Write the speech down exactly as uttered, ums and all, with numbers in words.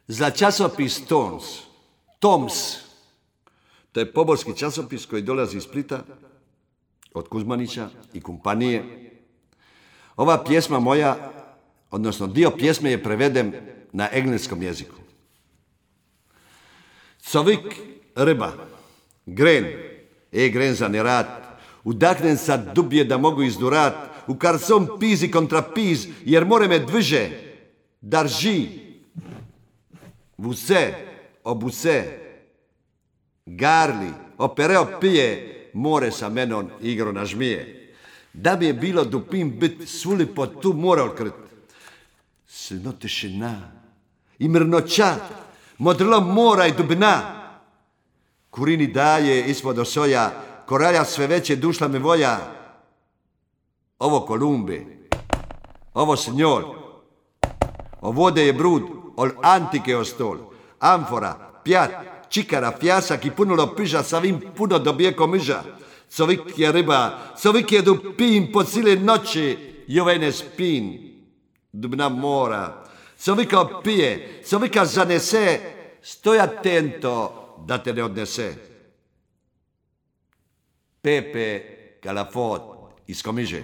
za časopis Toms. Toms. To je poborski časopis koji dolazi iz Splita, od Kuzmanića i kompanije. Ova pjesma moja, odnosno dio pjesme je preveden na engleskom jeziku. Covik ryba, gren, e gren za nerat, udahnem sa dubje da mogu izdurat, u karcom pizi kontra piz, jer more me dviže, darži, vuse, obuse, garli, opereo pije, more sa menom igro nažmije. Da bi je bilo dupim bit, svuli po tu more odkrit. Silno tišina i mrnoća, modrlo mora i dubina. Kurini daje ispod osoja, koralja sve veće dušla me voja. Ovo Kolumbi, ovo Sinjol, ovode je brud, ol antike o stol, amfora, pjat, čikara, fjasak i punulo piža, sa vim puno dobijeko miža. Covik je ryba, covik je dupin po cile noći, i ovaj ne spin, dubna mora. Covika opije, covika zanese, stoj atento da te ne odnese. Pepe Calafot iz Komiže.